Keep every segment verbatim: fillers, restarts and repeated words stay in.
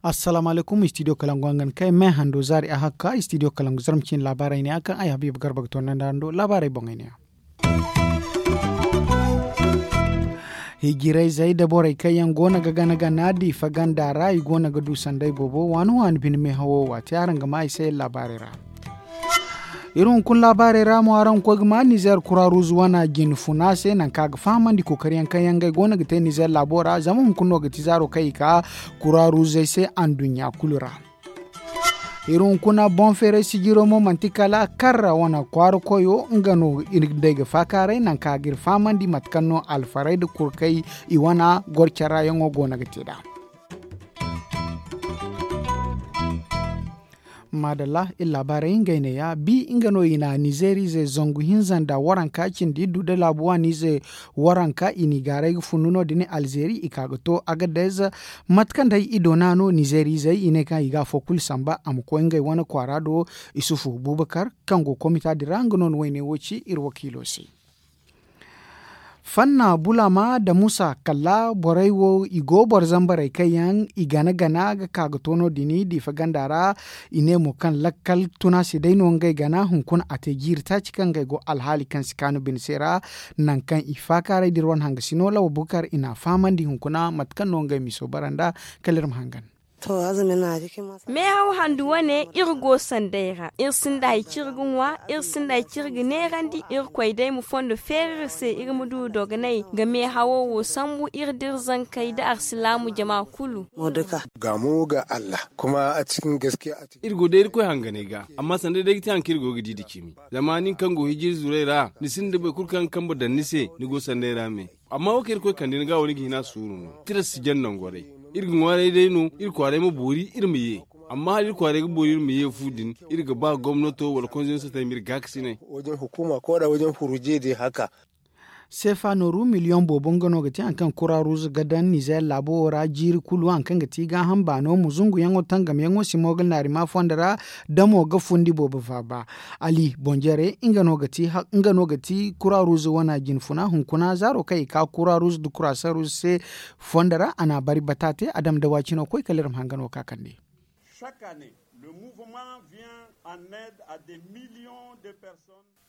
Assalaamu alaykum, istidiyo kalangu hangan kay me hando zaari a hakka istidiyo kalangu zarma cine laabaarey ne a kaŋ ay habiiba garba ga toonandi hando laabaarey boŋey ne. Hijirayzey nda borey kaŋ yaŋ go no ga gana gana diifa ganda ra i go no ga du sanday boobo waani waani bine meehawo waati araŋ ga maa i se laabaarey ra. Iri hunkuna laabaarey ra mo araŋ ga koy ga maa nizeer kuraaruuz wana jine funa se nangu kaŋ a ga fahamandi kookari yaŋ kaŋ yaŋ ngey go no ga te nizeer laabo ra zama hunkuna no ga ti zaaro kaŋ i ka kuraaruuzey se anduɲɲa kulu ra. Iri hunkuna boŋ feeray sijiro mo manti kala karra wane kwaara koyo nga no iri day ga faakaaray nangu kaŋ a ga iri fahamandi mate kaŋ no alfaray nda kurkey i wana goro care ra yaŋo go no ga te nd'a. Maadalla iri laabaarey ngey neeya bi nga no i na nizeeriize zangu hinza nda waranka cindi iddu nda laabu waaniize waranka i n'i gaaray ga fundu no- din alzeeri i ka ga to agadez. Mate kaŋ day i doona no nizeeriizey i ne kaŋ i ga afo kulu samba a ma koy ngey wane kwaara do. Isufu bubakar kaŋ go komita din ra nga no na wayne wo ci iri wakiilo se. Fanna bulama nda musa kala borey wo i go boro zambarey kaŋ yaŋ i gana gana ga ka ga to no- din diifa ganda ra. I ne mo kaŋ lakkal tuna se day no ngey gana hunkuna a te jiiri taaci kaŋ ngey go alhaali kaŋ si kaanu bine se ra. Nangu kaŋ i faakaaray da iri wane hangasino lawa bukar i n'a fahamandi hunkuna mate kaŋ no ngey miso bara nda kala iri ma hangan. Meehaw handu wane iri go sanday ra iri sinda hari kaŋ iri ga ŋwa. Iri sinda hari kaŋ iri ga neerandi irkoy day ma fondo feeri iri se iri ma du dogonay ga meehawo wo sambu iri da iri zankey da arsilaamu jama kulu. Gaamo ga allah kuma a cikin gaskiya. Iri go day irkoy hanganay ga amma sanday day ga te hari kaŋ iri go ga di nda cimi. Zama nin kaŋ go hijiri zuray ra ni sinda boro kulu kaŋ ga kambe daŋ ni se ni go sanday ra me. Amma wo kaŋ irkoy kande ni ga wo ni ga hin a suuru no tiras si jaŋ nangorey. Iri ga ŋwaaray day no iri kwaaray ma boori iri ma ye. Amma hala iri kwaaray ga boori iri ma ye fu din iri ga ba gomnato wala konzey ma sotay ma iri gaakasinay. Wajen hukuma ko da wajen furuje de haka. Seefa nooru miliyoŋ boobo nga no ga ti hari kaŋ kura ruuz ga daŋ nizeer laabo wo ra jiiri kulu hari kaŋ ga ti gaaham baano ma zunguyaŋo tangamyaŋo si mo ga naari ma fondo ra. Damo ga fundi boobo faaba ali bonjere nga no ga ti kura ruuz wana jinfuna hunkuna zaaro kaŋ i ka kura ruuz nda kura saruuz se fondo ra a na a bari bata te a dama dawaacino koy kala iri ma hanga no ka kande.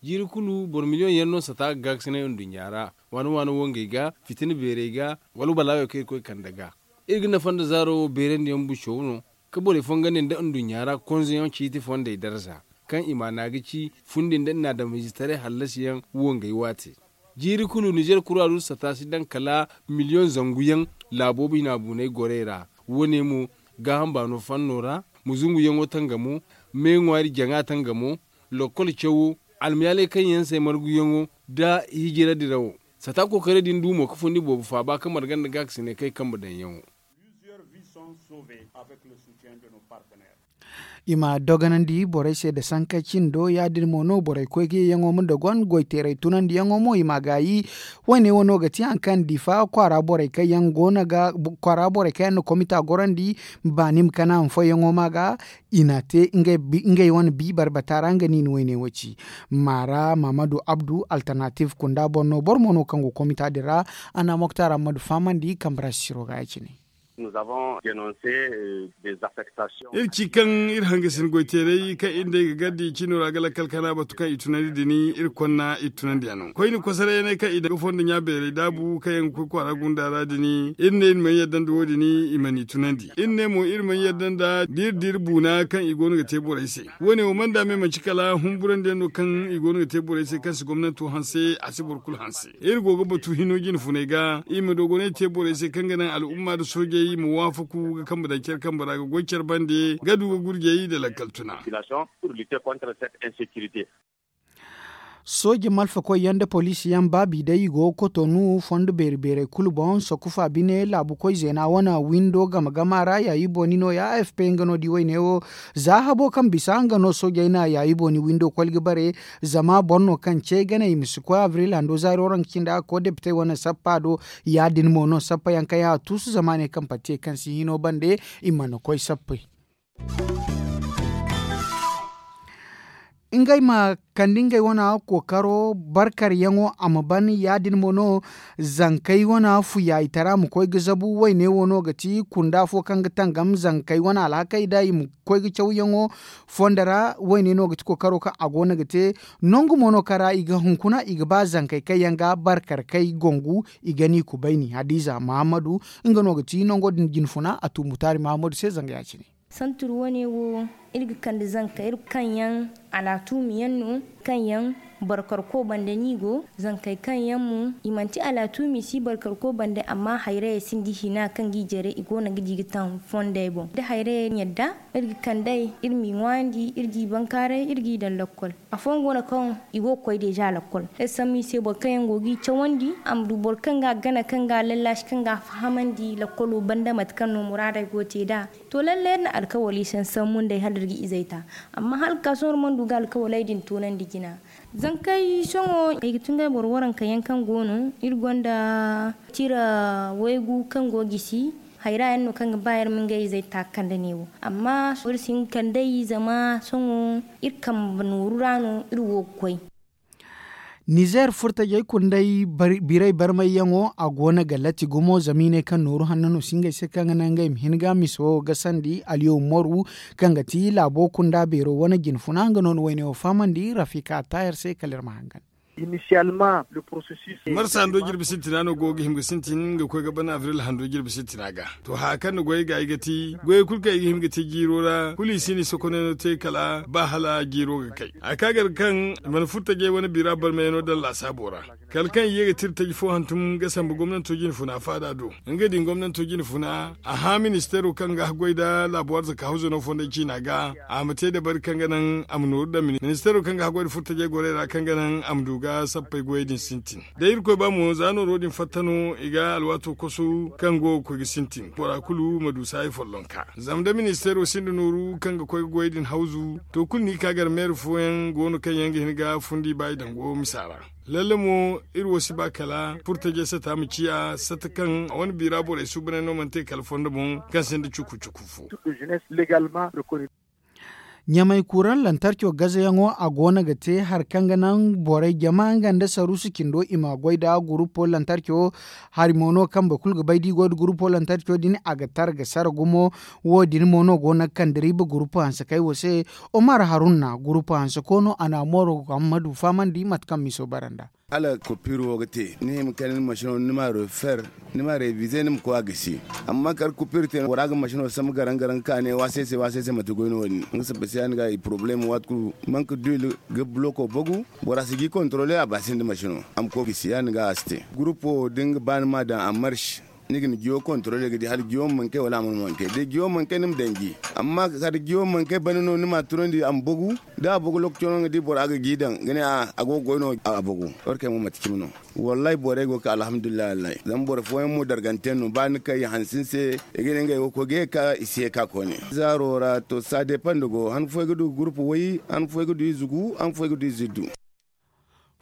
Jiiri kulu boro miliyoŋ yaŋ no sata ga gaakasinay nduɲɲa ra waani waani wangey ga fitina beerey ga wala balaayo kaŋ irkoy kande ga. Iri ga nafa nda zaaro wo beerandiyaŋ buco no ka borey fongandi nda nduɲɲa ra konzeyaŋ ciiti fondey darza kaŋ i maana ga ci fundi nda nnaadamiizetaray hallasiyaŋ wangey waate. Jiiri kulu nizer kuraadu sata si daŋ kala miliyoŋ zangu yaŋ laabo bina buunay gorey ra. Wo- ne mo gaaham baano fanno ra ma zunguyaŋo tangamo me ŋwaari jaŋa tangamo lokkol cawo almayaalay kaŋ yaŋ se marguyaŋo nda hijira dirawo. Sata kookaray din du mo ga fundi boobo faaba ga marga nda gaakasinay kaŋ ay kambe daŋyaŋo. I ma dogonandi borey se nda sanka cindo ya- din mo no borey koy ga yeyaŋo ma dogon goy teeray tunandiyaŋo mo i m'a gaayi. Wo- ne wo no ga ti hari kaŋ difa kwaara borey kaŋ yaŋ go no ga kwaara borey kaŋ yaŋ na komita gorandi baani ma kana ma foyyaŋo ma ga. I n'a te ngey wane bi barbata ra nga no i na wayne wo ci. Maara mahamadu abdu alternative kunda boro no boro mo no kaŋ go komita din ra. A na moktar ammadu fahamandi kambe ra sisiro ga ya- cine. Iri ci kaŋ iri hangasin goy teeray kaŋ iri day ga gardi cino ra ga lakkal kana batu kaŋ i tunandi din iri konna iri tunandi a no koyne kosarayyaney kaŋ i daŋ ga fondo ɲa beeray daabu kaŋ yaŋ ga koy kwaara gunda ra din iri ne iri mana yadda nda wo- din i mana i tunandi iri ne mo iri mana yadda nda da iri da iri buuna kaŋ i go no ga te borey se. Wo- ne wo mana da me manci kala humburandiyaŋ no kaŋ i go no ga te borey se kaŋ si gomnanto hanse a si boro kulu hanse. Iri go ga batu hino jine funay ga i ma dogonay te borey se kaŋ ga naŋ al'umma nda soojey ma waafaku ga kambe daŋ care kambe ra ga goy care bande ga du ga gurjey nda lakkal tuna. Sooje malfakoy yaŋ nda poliisi yaŋ baabi day i go ga kotonu fondo beeri beerey kulu boŋ sokufa bine laabukoy zeena wane windo game gama ra yaayi booni nooya a f p nga no di wayne wo. Za habo kaŋ bisa nga no soojey na yaayi booni windo koy ga bare. Zama boro no kaŋ ce ganey i ma si koy abril hando zaari waranka cindi a ga koy depitey wane sappa do. Ya- din mo no sappa yaŋ kaŋ yaŋ a tuusu zama ne kaŋ pati ye kaŋ si hino bande i mana koy sappey. ngey ma kande ngey wane kookaro barkaryaŋo a ma ban ya- din mo no. Zankey wane fuyaayitara ma koy ga zabu wayne wo no ga ti kunda fo kaŋ ga tangam zankey wane alhakey da i ma koy ga cawyaŋo fondo ra. Wayne no ga ti kookaro kaŋ a go no ga te. Nangu mo no kaŋ ra i ga hunkuna i ga ba zankey kaŋ yaŋ ga barkar kay gongu i ga ni kubayni hadiza mahammadu. Nga no ga ti nango din jinfuna a tu mutaari mahammadu se zanga ya- cine. Santur wane wo iri ga kande zanka iri kaŋ yaŋ alaatuumi yaŋ no kaŋ yaŋ barkarko bande no i go. Zankey kaŋ yaŋ mo i manti alaatuumi si barkarko bande amma hayrayey sinda hina kaŋ ga i jare i go no ga di ga taŋ fondey boŋ da hayrayey yadda iri ga kandey iri m'i ŋwaayandi iri g'i bankaaray iri g'i daŋ lakkol. Afooyaŋ go no kaŋ i go ga koy deeza lakkol iri sambu i se boro kaŋ yaŋ go g'i cawandi a ma du boro kaŋ ga a gana kaŋ ga a lallaasi kaŋ ga a fahamandi lakkolo banda mate kaŋ no muraadey go ga te nd'a. To lalle iri na alkawali sansambu nd'ey hala iri ga izey ta. Amma hala ga ka sohõ iri mana du ga alkawaley din toonandi jina. Zankey sohõ ay ga tun ga ay boro waranka yaŋ kaŋ go no iri gonda tira waygu kaŋ go gisi. Hayra yaŋ no kaŋ ga ba iri ma ngey izey ta ga kande neewo amma iri si hin ga kand'ey zama sohõ iri kambe nooru ra no iri wo ga koy. Nizeer furtajey kundey birey barmayyaŋo a go no ga latti gumo zama i ne kaŋ nooru hanno no si ngey se kaŋ ga naŋ ngey ma hin ga miso gasandi aliyo moru kaŋ ga ti laabo kunda beero wane jinfuna nga no ni wayne wo fahamandi rafika taayer se kala iri ma hangan. Marsa hando jirbi sintina no go ga hima ga sintin ga koy ga ban abril hando jirbi sintina ga. To haya kaŋ ni goy ga ay ga ti goyey kulu kaŋ i ga hima ga te jiiro ra kulu i si ni sokonayno te kala ba hala jiiro ga kay. A ka gar kaŋ i mana furo tajey wane biira barmayano daŋ laasaabo ra kala kaŋ i ye ga tira taji fo hantum ga sambu gomnanto jinfuna faada do. Nga din gomnanto jinfuna a hã ministeero kaŋ ga haggoy nda laabo arzaka hawzano fondey ciina ga a ma te dabari kaŋ ga naŋ a ma nooru daŋ ministeero kaŋ ga haggoy nda furo tajey gorey ra kaŋ ga naŋ a ma du ga sappey goyey din sintin. Da irkoy ba mo za nooro din fatta no i ga alwaato kosu kaŋ go ga koy ga sintin bora kulu ma du saayi follonka. Zama da ministeero sinda nooru kaŋ ga koy ga goyey din hawzu to kulu no i ka gar meeri fooyaŋ go no kaŋ yaŋ ga hin ga fundi ba i dango misa ra. Lalle mo iri wo si ba kala furtajey sata ma ciya sata kaŋ a wane biira borey suubaney no mana te kala fondo boŋ kaŋ sinda cuku cuku fo. Ɲamay kuuraŋ lantarco gazayaŋo a go no ga te hari kaŋ ga naŋ borey jama nga nda saruusu cindo i ma goy nda gurupo lantarco. Hari mo no kaŋ boro kulu ga bay da i goy nda gurupo lantarco din a ga tara ga sara gumo. Wo- din mo no go no ga kande riiba gurupo hansekey wo se. Omar harunna gurupo hanseko no a na mooro ga hammadu fahamandi mate kaŋ miso bara nd'a. Hala kopiir wo ga te ni hima kala ni masino ni ma refer ni ma revize ni ma koy a gisi. Amma kala kopiir te bora ga masino sambu garaŋ garaŋ ka ne waasay se waasay se manti goy no wo- din nga sabba se ya- din ga i porobalem waati kulu manka duwil ga buloko bagu. Bora si ga i kontorole a ba sinda masino a ma koy gisi ya- din ga a si te gurupo da ni ga ba ni ma daŋ a marsi. Ni ga ni jiyo kontorole ga di hala jiyo ma manke wala a mana manke da jiyo manke ni ma daŋ ji. Amma kala jiyo manke banda no ni ma a tunandi a ma bagu da a bagu lokaco no ni ga di bora ga gi daŋ ga ne a go ga goy no a bagu. Warkey mo manti cimi no. Wallahi borey go ga ka alhamdulillahi wallahi zama boro fooyaŋ mo dargante no ba ni kay hansin se i ga ne ngey wo koy ga ye ga ka i si ye ga ka koyne. Zaaro ra to ça dépend go han fooyaŋ ga du gurupu way han fooyaŋ ga du ize gu han fooyaŋ ga du ize iddu.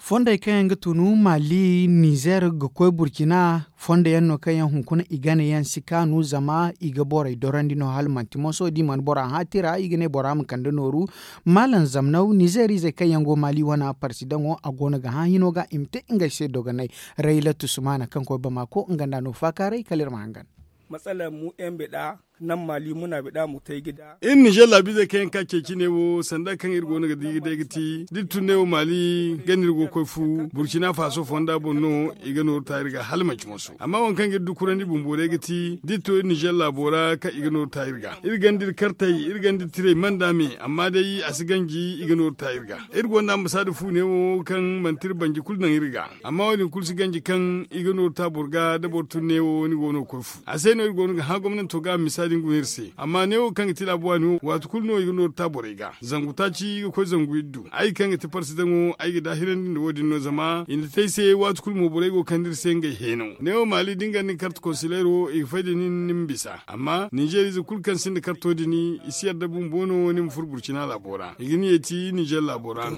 Fondey kaŋ yaŋ ga tunu mali nizer ga koy burcina. Fondo yaŋ no kaŋ yaŋ hunkuna i gana yaŋ si kaanu zama i ga borey dorandi no hala manti moso da i mana bora hã tira i ga ne bora ma kande nooru. Maalam zamnaw nizer izey kaŋ yaŋ go mali wane parsidaŋo a go no ga hã hino ga i ma te ngey se dogonay. Rayla tusumana kaŋ koy bamako nga nda no faakaaray kala iri ma hangan. Matsala mu yaŋ bida naŋ mali muna bida mutay gida. Iri nizer laabiizey kaŋ yaŋ ka ceeci ne wo sanda kaŋ iri go no ga di ga day ga ti da iri tun ne wo mali ganda iri go ga koy fu burcina faaso fonda boŋ no. I ga nooru ta iri ga hala manci moso amma waŋ kaŋ ga iri dukurandi bumbo day ga ti da iri to iri nizer laabo ra kaŋ i ga nooru ta iri ga iri ganda iri kartey iri ganda iri tirey manda me amma day a si ganji i ga nooru ta iri ga. Iri gonda ambasaada fu ne wo kaŋ manti iri banji kulu naŋ iri ga. Amma wo- din kulu si ganji kaŋ i ga nooru ta boro ga da boro tun ne wo ni go no ga koy fu a se no iri go no ga hã gomnanto ga a misa din guna iri se amma ne wo kaŋ ga ti laabu waani wo waati kulu no i ga nooru ta borey ga zangu taaci ga koy zangu iddu ay kaŋ ga ti parsidaŋo ay ga daahirandi nda wo- din no zama i na te ay se waati kulu mo borey go ga kande iri se ngey heeno ne wo maali da ni ganda ni karta konsileero i ga fay da nin ni ma bisa amma ninzeer ize kulu kaŋ sinda karto din i si yadda bumbo no ni ma furo burcina laabo ra i ga ni yeeti ninzeer laabo ra no.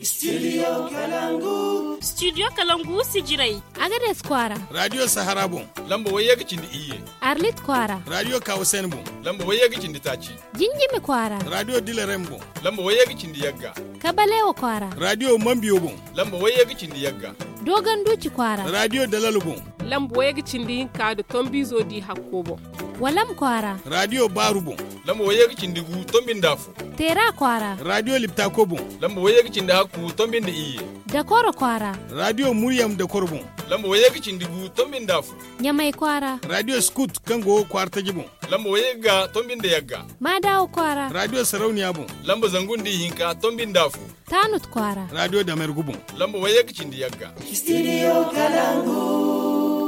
Studio kalangu. Studio kalangu sijirey. Agades kwaara. Radio sahara boŋ. Lamba wayye ga cindi iyye. Arlit kwaara. Radio kawasen boŋ. Lamba wayye ga cindi taaci. Jinjimi kwaara. Radio dilarem boŋ. Lamba wayye ga cindi yagga. Kabalewa kwaara. Radio mambiyo boŋ. Lamba wayye ga cindi yagga. Dogon duci kwaara. Radio dalalo boŋ. Lamba wayye ga cindi hinka da tombizo di hakko boŋ. Walam kwaara. Radio baaru boŋ. Lamba wayye ga cindi gu tombinda fo. Teera kwaara. Radio liptako boŋ. Lamba wayye ga cindi hakku tombinda iyye. Dakoro kwaara. Radio muryam dakoro boŋ. Lamba wayye ga cindi gu tombinda fo. Ɲamay kwaara. Radio skut kaŋ go kwaara taji boŋ. Lamba wayye ga tombinda yagga. Maadawa kwaara. Radio sarauniya boŋ. Lamba zangu nda ihinka tombinda fo. Taanut kwaara. Radio damergu boŋ. Lamba wayye ga cindi yagga. Studio kalangu.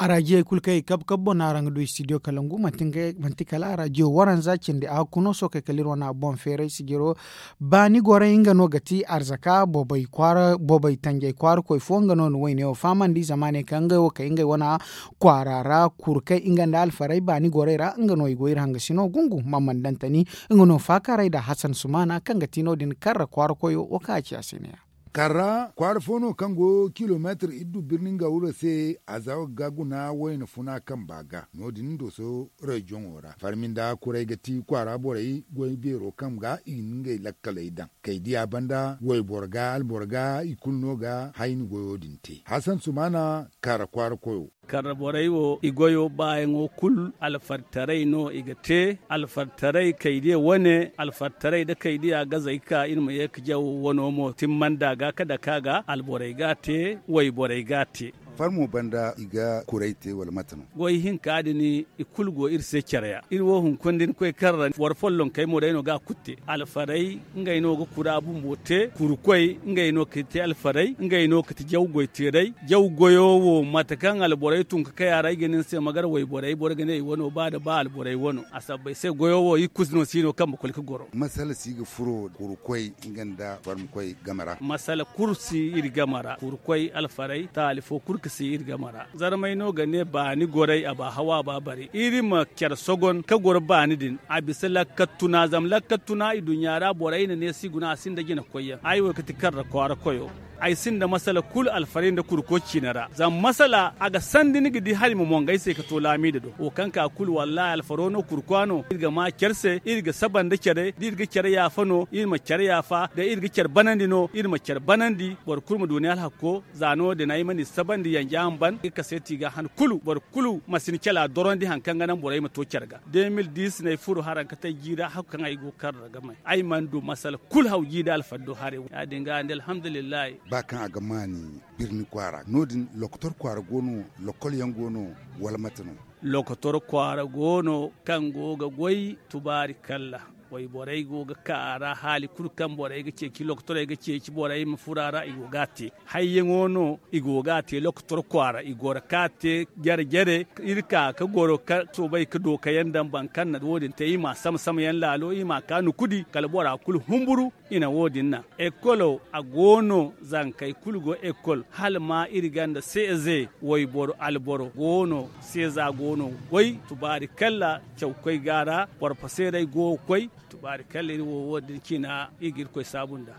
Araajiyey kulu kaŋ i kabe kabe boŋ no araŋ ga du studio kalangu manti kala arajiyo waranza cindi a hakku no sookey kala iri wane a boŋ feeray sijiro. Baani gorey nga no ga ti arzaka boobay tanjay kwaara koy fo nga no na wayne wo fahamandi zama a ne kaŋ ngey wo kay ngey wane kwaara ra kuru kay nga nda alfarey baani gorey ra nga no i go iri hangasino gungu mamman dantani. Nga no faakaarey nda hasan sumaana kaŋ ga ti no- din karra kwaara koyo wo kaŋ a ci a se ne ya. Karra kwaara fo no kaŋ go kilomeetir iddu birni nga wuro se. A za ga guna wayna funa kamba ga no- din dooso reziyoŋo ra farmi nda kuray ga ti kwaara borey goy beero kaŋ ga i ga ngey lakkaley daŋ kay diya banda wayboro ga alboro ga i kulu no ga hayni goyo din te hasan sumaana. Karra kwaara koyo. Karra borey wo i goyo baayaŋo kulu alfartaray no i ga te. Alfartaray kaydiya wane alfartaray nda kaydiya gazey ka iri ma ye ga jaw wano mo timmanda ga ka dake a ga alborey ga a te. Wayborey ga a te. Farmo banda i ga kuray te wala mate no? Goy hinka din i kulu go iri se care ya iri wo hunkuna da ni koy karra boro follonkey mo day no ga a kulu te. Alfarey ngey no ga kura bumbo te kurukoy ngey no ga te alfarey ngey no ga ti jaw goy teerey. Jaw goyo wo mate kaŋ alborey tun ga kay a ra ay ga ne ni se ma gar wayborey boro ga ne i wano ba da ba alborey wano a sabbay se goyo wo i kusi no si no kambe koy ga goro. Masala si ga furo kurukoy nga nda farmikoy game ra. Masala kulu si iri game ra kurukoy alfarey taali fo kulu ga si iri game ra. Zarmay no ga ne baani gorey a ba hawa a ba bari iri ma care sogon ka goro baani din a bisa lakkattuna zama lakkattuna i duɲɲa ra borey na ne si guna a sinda jina koyyaŋ ay wo ga ti karra kwaara koyo. Ay sinda masala kulu alfarey nda kurko ciine ra zama masala a ga sandi ni ga di hari ma mongo ay se ka to laamiida do wo kaŋ ka kulu wallahi alfaro no kurkwa no iri ga ma care se iri ga saba nda care da iri ga care yaafa no iri ma care yaafa da iri ga care banandi no iri ma care banandi boro kulu ma du ni alhakko. Za no- din ay mana i sabandi yanja ma ban i kaseeti ga han kulu boro kulu ma si ni cala dorondi hari kaŋ ga naŋ borey ma to care ga. De mil dis no ay furo haraŋ ka te ay jiiri a hakku kaŋ ay go ga kar ra ga may ay mana du masala kulu haw jiiri alfaddo haray. Ya- din ga nda alhamdulillahi. Ba kaŋ a ga maani birni kwaara no- din lokotor kwaara go no lokol yaŋ go no wala mate no? Lokotor kwaara go no kaŋ go ga goy tubaari kalla. Wayborey go ga ka a ra haali kulu kaŋ borey ga ceeci lokotorey ga ceeci borey ma furo a ra i go ga a te. Hayyaŋo no i go ga a te lokotor kwaara i goro ka a te jare jare. Iri ka ga goro ka soobay ga dookayaŋ daŋ boro kaŋ na wo- din te i m'a sama sama yaŋ laalo i m'a ka nukudi kala bora kulu humburu. I na wo- din naŋ ekolo a go no zankey kulu go ekol hala ma iri ganda seeze wayboro alboro go no seeza go no goy tubaari kalla. Cawkoy ga a ra porposeerey go ga koy tubaari kalla iri wo wo- din ciina iri ga irkoy saabu nd'a.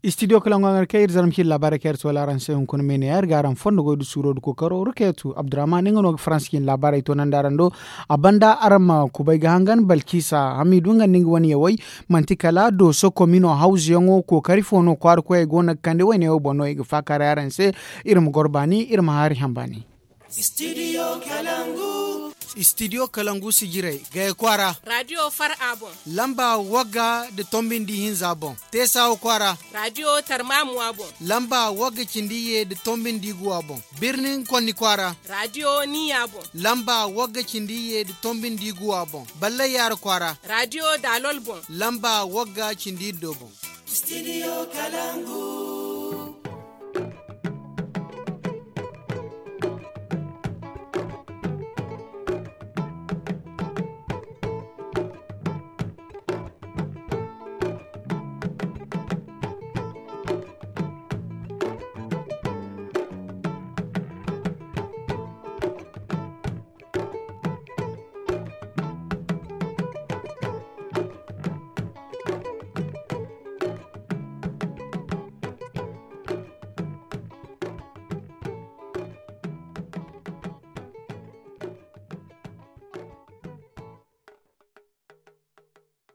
Istidiyo kala ŋwaŋar kaŋ iri zarma cine laabaarey kaŋ iri soola araŋ se hunkuna me ne ya iri ga araŋ fondo goy da suuro da kookaro rukeetu abdurrahman nga no ga faransa cine laabaarey toonandi araŋ do. A banda araŋ ma kubay ga hangan balkisa hamidu nga nda nga wane yawey. Manti kala dooso komino hawzuyaŋo kookari fo no kwaara koyey go no ga kande wayne wo boŋ no i ga faakaaray araŋ se. Iri ma goro baani iri ma haari haŋ baani. Studio kalangu. Studio kalangu sijirey gaya kwaara. Radio far a boŋ. Lamba wagga da tombindi hinza boŋ. Teesawa kwaara. Radio tarmamuwa boŋ. Lamba wagga cindi ye da tombindi guwa boŋ. Birnin konni kwaara. Radio niya boŋ. Lamba wagga cindi ye da tombindi guwa boŋ. Ballay yaara kwaara. Radio dalol boŋ. Lamba wagga cindi iddo boŋ. Studio kalangu.